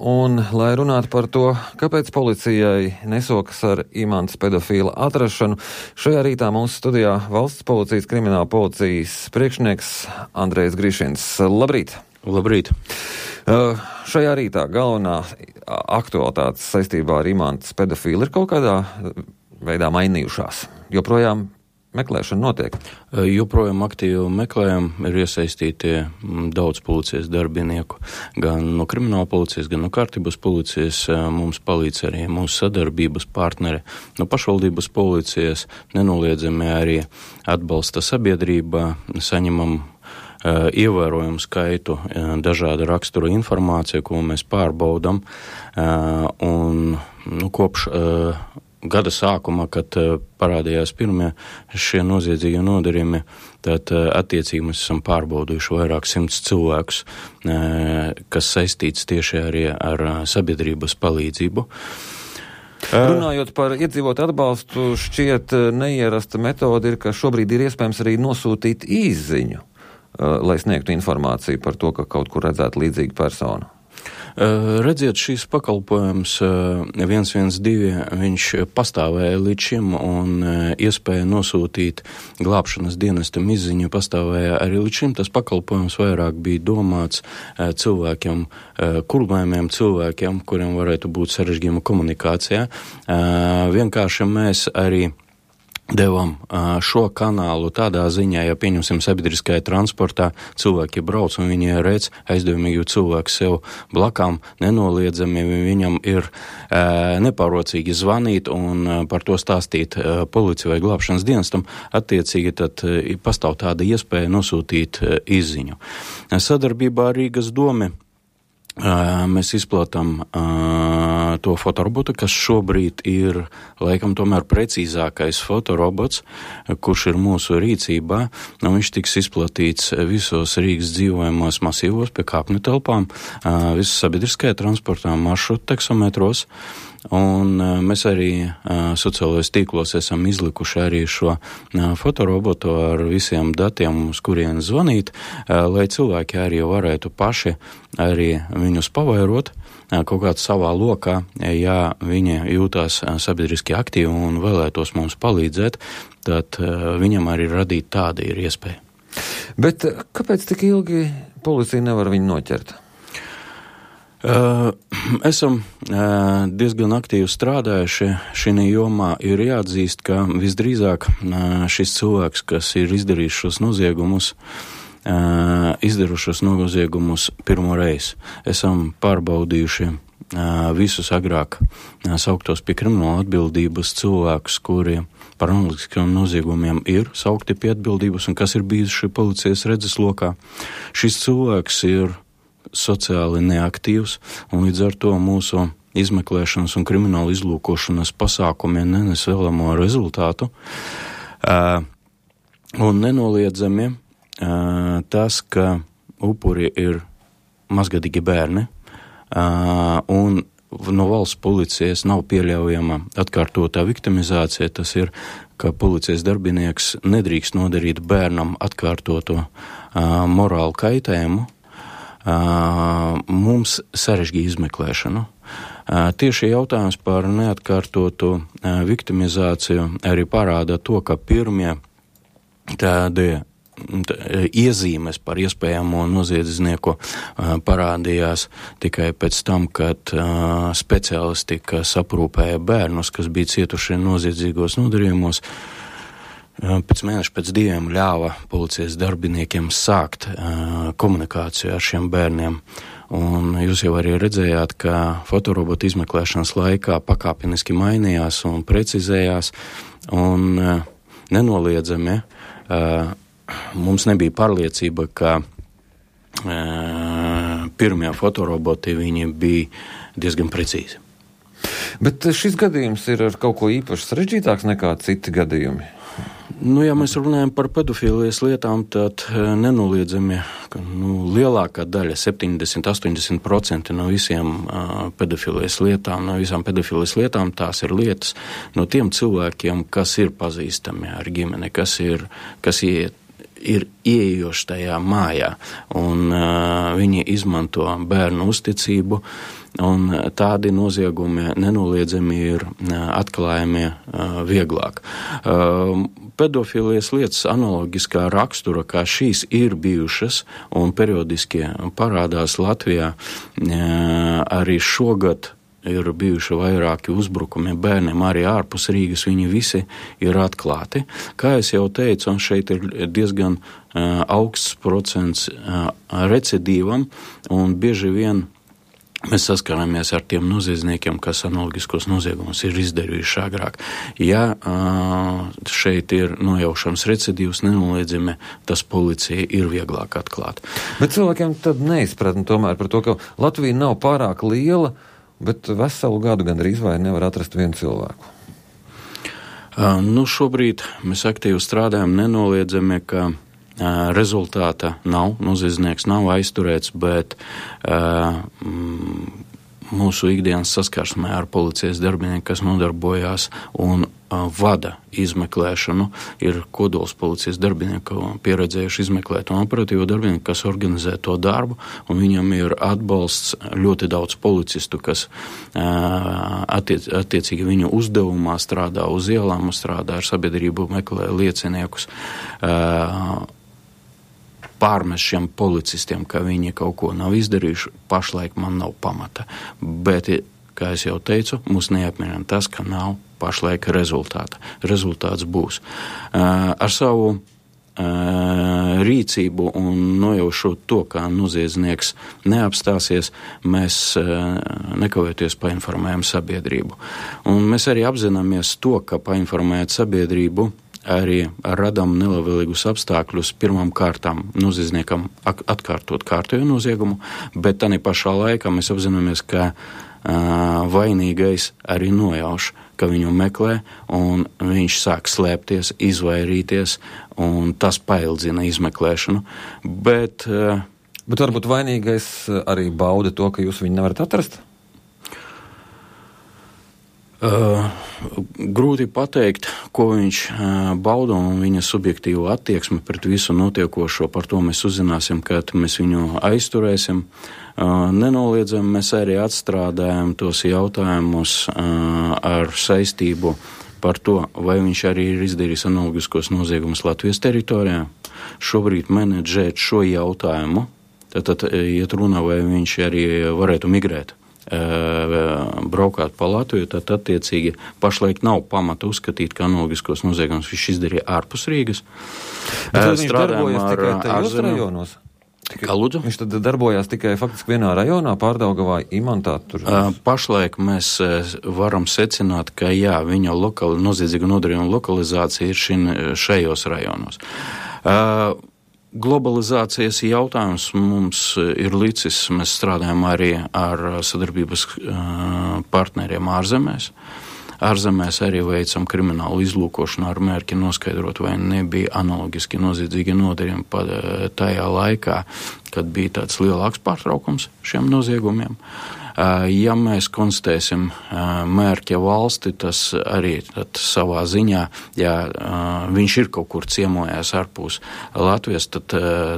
un, lai runātu par to, kāpēc policijai nesokas ar Imantas pedofīla atrašanu, šajā rītā mūsu studijā Valsts policijas krimināla policijas priekšnieks Andrejs Grišins. Labrīt! Labrīt! Šajā rītā galvenā aktualitātes saistībā ar Imantas pedofīlu ir kaut kādā veidā mainījušās. Joprojām meklēšana notiek? Joprojām aktīvi meklējam, ir iesaistīti daudz policijas darbinieku, gan no krimināla policijas, gan no kārtības policijas. Mums palīdz arī mūsu sadarbības partneri no pašvaldības policijas, nenoliedzami arī atbalsta sabiedrībā, saņemam ievērojumu skaitu dažāda rakstura informācija, ko mēs pārbaudam, un kopš gada sākuma, kad parādījās pirmie šie noziedzīgie nodarījumi, tad attiecīgi mēs esam pārbaudījuši vairāk 100 cilvēkus, kas saistīts tieši arī ar sabiedrības palīdzību. Runājot par iedzīvotāju atbalstu, šķiet neierasta metode ir, ka šobrīd ir iespējams arī nosūtīt īsziņu, lai sniegtu informāciju par to, ka kaut kur redzētu līdzīgu personu. Redziet, šīs pakalpojums 112, viņš pastāvēja līdz šim, un iespēja nosūtīt glābšanas dienestam izziņu pastāvēja arī līdz šim. Tas pakalpojums vairāk bija domāts cilvēkiem, kurlējumiem cilvēkiem, kuriem varētu būt sarežģījuma komunikācijā. Vienkārši mēs arī devam šo kanālu tādā ziņā, ja pieņemsim sabiedriskajā transportā, cilvēki brauc un viņi redz aizdomīgu cilvēku sev blakām, nenoliedzami viņam ir nepārrocīgi zvanīt un par to stāstīt policija vai glābšanas dienestam, attiecīgi tad pastāv tāda iespēja nosūtīt izziņu. Sadarbībā ar Rīgas domi mēs izplatām to fotorobotu, kas šobrīd ir laikam tomēr precīzākais fotorobots, kurš ir mūsu rīcībā. Viņš tiks izplatīts visos Rīgas dzīvojamos masīvos pie kāpņu telpām, visu sabiedriskajā transportā, maršrutu taksometros. Un mēs arī sociālajos tīklos esam izlikuši arī šo fotorobotu ar visiem datiem, uz kurien zvanīt, lai cilvēki arī varētu paši arī viņus pavairot kaut kādā savā lokā, ja viņi jūtās sabiedriski aktīvi un vēlētos mums palīdzēt, tad viņam arī radīt tāda ir iespēja. Bet kāpēc tik ilgi policija nevar viņu noķert? Esam diezgan aktīvi strādājuši šī jomā. Ir jāatzīst, ka visdrīzāk šis cilvēks, kas ir izdarījis šos noziegumus, izdarušos noziegumus pirmo reizi. Esam pārbaudījuši visus agrāk sauktos pie krimināla atbildības cilvēkus, kuri par analogiskiem noziegumiem ir saukti pie atbildības un kas ir bijuši policijas redzeslokā. Šis cilvēks ir sociāli neaktīvs, un līdz ar to mūsu izmeklēšanas un krimināla izlūkošanas pasākumi nenes vēlamo rezultātu. Un nenoliedzami tas, ka upuri ir mazgadīgi bērni, un no valsts policijas nav pieļaujama atkārtotā viktimizācija, tas ir, ka policijas darbinieks nedrīkst nodarīt bērnam atkārtoto morālu kaitējumu, mums sarežģīja izmeklēšanu. Tieši jautājums par neatkārtotu viktimizāciju arī parāda to, ka pirmie tādi iezīmes par iespējamo noziedznieku parādījās tikai pēc tam, kad speciālisti, kas aprūpēja bērnus, kas bija cietuši noziedzīgos nodarījumos, pēc mēneša, pēc 2 ļāva policijas darbiniekiem sākt komunikāciju ar šiem bērniem. Un jūs jau arī redzējāt, ka fotorobota izmeklēšanas laikā pakāpeniski mainījās un precizējās, un nenoliedzami mums nebija pārliecība, ka pirmie fotoroboti viņi bija diezgan precīzi. Bet šis gadījums ir ar kaut ko īpaši sarežģītāks nekā citi gadījumi? Ja mēs runājam par pedofīlijas lietām, tad nenoliedzami, ka lielākā daļa, 70–80% no visiem pedofīlijas lietām, no visām pedofīlijas lietām, tās ir lietas no tiem cilvēkiem, kas ir pazīstami ar ģimeni, kas ir ieejoši tajā mājā, un viņi izmanto bērnu uzticību, un tādi noziegumi nenoliedzami ir atklājami vieglāk. Pedofilijas lietas analogiskā rakstura, kā šīs ir bijušas un periodiski parādās Latvijā, arī šogad ir bijuši vairāki uzbrukumi bērniem arī ārpus Rīgas, viņi visi ir atklāti. Kā es jau teicu, šeit ir diezgan augsts procents recidīvam, un bieži vien mēs saskaramies ar tiem noziedzniekiem, kas analogiskos noziegumus ir izdarījuši agrāk. Ja šeit ir nojaušams recidīvs, nenoliedzami tas policija ir vieglāk atklāt. Bet cilvēkiem tad neizpratni tomēr par to, ka Latvija nav pārāk liela, bet veselu gadu gandrīz vai nevar atrast vienu cilvēku. Šobrīd mēs aktīvi strādājam, nenoliedzami, ka rezultāta nav, noziedznieks nav aizturēts, bet mūsu ikdienas saskarsmē ar policijas darbinieku, kas nodarbojās un vada izmeklēšanu, ir kodols policijas darbinieku pieredzējuši izmeklēt un operatīvo darbinieku, kas organizē to darbu, un viņam ir atbalsts ļoti daudz policistu, kas attiecīgi viņu uzdevumā strādā uz ielām, strādā ar sabiedrību, meklē lieciniekus, pārmest šiem policistiem, ka viņi kaut ko nav izdarījuši, pašlaik man nav pamata. Bet, kā es jau teicu, mūs neapmierina tas, ka nav pašlaik rezultāta. Rezultāts būs. Ar savu rīcību un nojaušot to, kā noziedznieks neapstāsies, mēs nekavēties painformējam sabiedrību. Un mēs arī apzināmies to, ka painformējot sabiedrību, arī radam nelabvēlīgus apstākļus pirmām kārtām noziedzniekam atkārtot kārtējo noziegumu, bet tā pašā laikā mēs apzināmies, ka vainīgais arī nojauš, ka viņu meklē, un viņš sāk slēpties, izvairīties, un tas paildzina izmeklēšanu. Bet varbūt vainīgais arī bauda to, ka jūs viņu nevarat atrast? Grūti pateikt, ko viņš bauda, un viņa subjektīvo attieksmi pret visu notiekošo. Par to mēs uzzināsim, kad mēs viņu aizturēsim. Nenoliedzami mēs arī atstrādājam tos jautājumus ar saistību par to, vai viņš arī ir izdarījis analogiskos noziegumus Latvijas teritorijā. Šobrīd menedžēt šo jautājumu, tad iet runa, vai viņš arī varētu migrēt, braukāt pa Latviju, tad attiecīgi pašlaik nav pamata uzskatīt, ka analogiskos noziegumus viņš izdarīja ārpus Rīgas. Bet viņš darbojas tikai tajos rajonos? Kā lūdzu? Viņš tad darbojās tikai faktiski vienā rajonā, Pārdaugavā, Imantā? Pašlaik mēs varam secināt, ka jā, viņa noziedzīga nodarījuma lokalizācija ir šajos rajonos. Globalizācijas jautājums mums ir licis, mēs strādājam arī ar sadarbības partneriem ārzemēs. Ārzemēs arī veicam kriminālu izlūkošanu ar mērķi noskaidrot, vai nebija analogiski noziedzīgi nodarījumi tajā laikā, kad bija tāds lielāks pārtraukums šiem noziegumiem. Ja mēs konstatēsim mērķa valsti, tas arī savā ziņā, ja viņš ir kaut kur ciemojās ārpus Latvijas, tad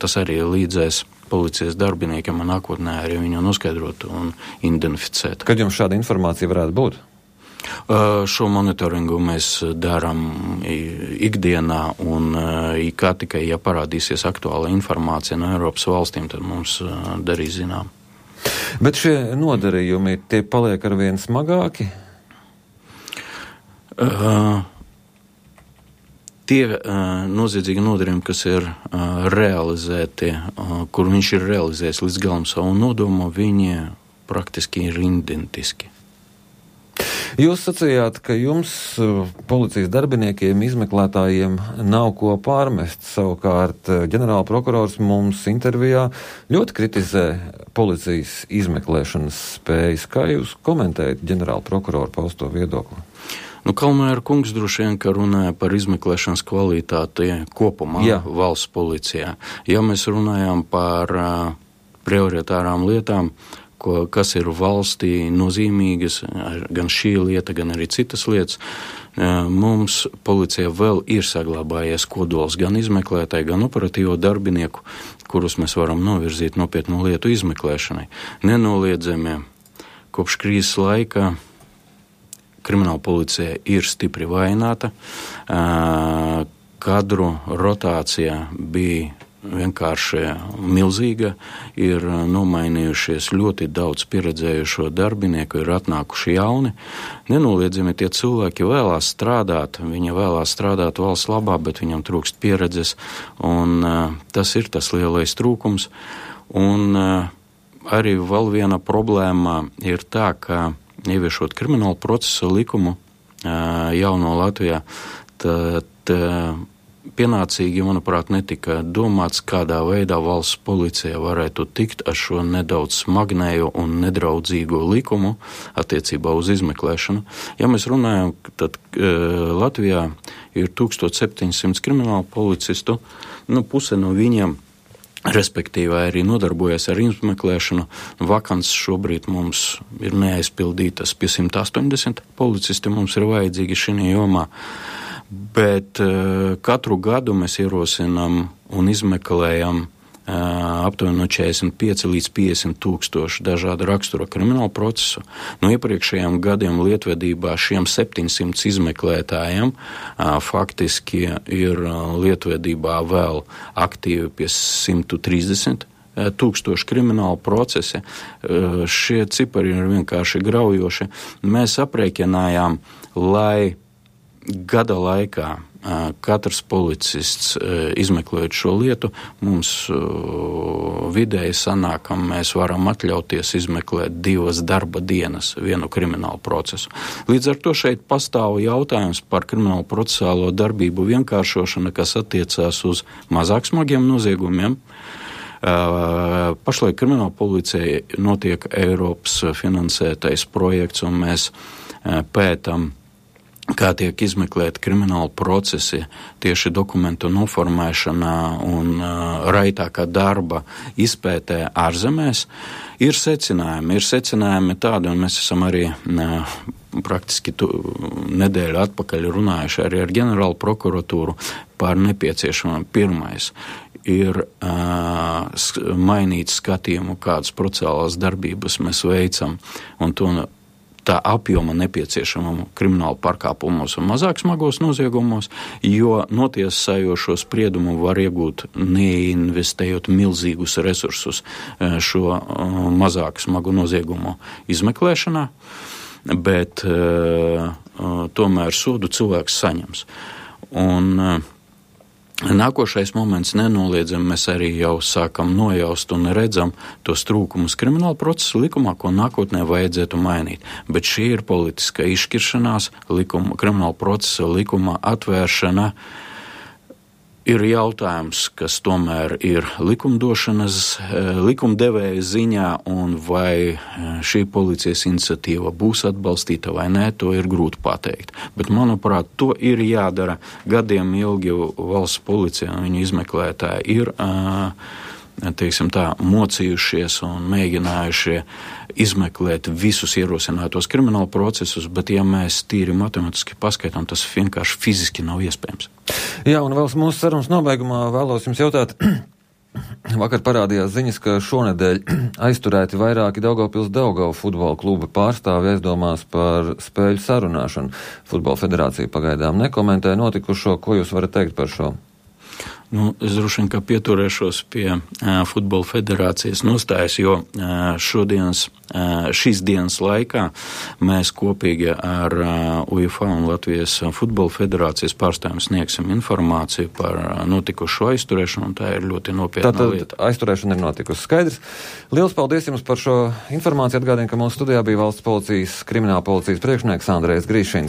tas arī līdzēs policijas darbiniekiem un nākotnē arī viņu noskaidrot un identificēt. Kad jums šāda informācija varētu būt? Šo monitoringu mēs darām ikdienā, un kā tikai, ja parādīsies aktuāla informācija no Eiropas valstīm, tad mums darīs zinām. Bet šie nodarījumi, tie paliek arvien smagāki? Tie noziedzīgi nodarījumi, kas ir realizēti, kur viņš ir realizējis līdz galam savu nodomu, viņi praktiski ir identiski. Jūs sacījāt, ka jums, policijas darbiniekiem, izmeklētājiem, nav ko pārmest. Savukārt ģenerāla prokurors mums intervijā ļoti kritizē policijas izmeklēšanas spējas. Kā jūs komentējat ģenerāla prokurora pausto viedokli? Kalmēra kungs droši vien, ka runāja par izmeklēšanas kvalitāti kopumā valsts policijā. Ja mēs runājam par prioritārām lietām, kas ir valstī nozīmīgas, gan šī lieta, gan arī citas lietas, mums policija vēl ir saglabājies kodols gan izmeklētāji, gan operatīvo darbinieku, kurus mēs varam novirzīt nopietnu lietu izmeklēšanai. Nenoliedzami kopš krīzes laika krimināla policija ir stipri vājināta. Kadru rotācija bija vienkārši milzīga, ir nomainījušies ļoti daudz pieredzējušo darbinieku, ir atnākuši jauni. Nenoliedzami tie cilvēki vēlās strādāt, viņi vēlās strādāt valsts labā, bet viņam trūkst pieredzes, un tas ir tas lielais trūkums. Un arī vēl viena problēma ir tā, ka ieviešot kriminālu procesa likumu jauno Latvijā, tad pienācīgi, manuprāt, netika domāts, kādā veidā valsts policija varētu tikt ar šo nedaudz smagnējo un nedraudzīgo likumu attiecībā uz izmeklēšanu. Ja mēs runājam, tad Latvijā ir 1700 kriminālu policistu, puse no viņiem respektīvi arī nodarbojas ar izmeklēšanu. Vakants šobrīd mums ir neaizpildītas, pie 180 policisti mums ir vajadzīgi šī jomā. Bet katru gadu mēs ierosinām un izmeklējam aptuveni no 45 līdz 50 tūkstoši dažādu rakstura kriminālu procesu. No iepriekšējiem gadiem lietvedībā šiem 700 izmeklētājiem faktiski ir lietvedībā vēl aktīvi pie 130 tūkstoši kriminālu procesi. Šie cipari ir vienkārši graujoši. Mēs aprēķinājām, lai gada laikā katrs policists izmeklējot šo lietu, mums vidēji sanāk, ka mēs varam atļauties izmeklēt 2 darba dienas vienu kriminālu procesu. Līdz ar to šeit pastāv jautājums par kriminālu procesālo darbību vienkāršošanu, kas attiecās uz mazāk smagiem noziegumiem. Pašlaik krimināla policija notiek Eiropas finansētais projekts, un mēs pētam, kā tiek izmeklēti krimināli procesi tieši dokumentu noformēšanā un raitākā darba izpētē ārzemēs. Ir secinājumi tādi, un mēs esam arī praktiski nedēļu atpakaļ runājuši arī ar ģenerālu prokuratūru par nepieciešamām. Pirmais ir mainīt skatījumu, kādas procesālās darbības mēs veicam, un to tā apjoma nepieciešamam kriminālu pārkāpumos un mazāk smagos noziegumos, jo notiesājošo spriedumu var iegūt neinvestējot milzīgus resursus šo mazāk smagu noziegumu izmeklēšanā, bet tomēr sodu cilvēks saņems. Un nākošais moments nenoliedzami mēs arī jau sākam nojaust un redzam tos trūkumus krimināla procesa likumā, ko nākotnē vajadzētu mainīt. Bet šī ir politiska izšķiršanās, krimināla procesa likuma atvēršana ir jautājums, kas tomēr ir likumdevēja ziņā, un vai šī policijas iniciatīva būs atbalstīta vai nē, to ir grūti pateikt. Bet, manuprāt, to ir jādara. Gadiem ilgi valsts policija un viņa izmeklētāji ir mocījušies un mēģinājuši izmeklēt visus ierosinātos kriminālu procesus, bet ja mēs tīri matemātiski paskaitām, tas vienkārši fiziski nav iespējams. Jā, un vēl mūsu sarunas nobeigumā vēlos jums jautāt. Vakar parādījās ziņas, ka šonedēļ aizturēti vairāki Daugavpils futbola kluba pārstāvi aizdomās par spēļu sarunāšanu. Futbola federācija pagaidām nekomentē notikušo. Ko jūs varat teikt par šo? Es droši vien, ka pieturēšos pie futbola federācijas nostājas, jo šīs dienas laikā mēs kopīgi ar UEFA un Latvijas futbola federācijas pārstāvjiem sniegsim informāciju par notikušo aizturēšanu, un tā ir ļoti nopietna lieta. Tātad aizturēšana ir notikusi. Skaidrs. Liels paldies jums par šo informāciju. Atgādinu, ka mūsu studijā bija valsts policijas, krimināla policijas priekšnieks Andrejs Grīšins.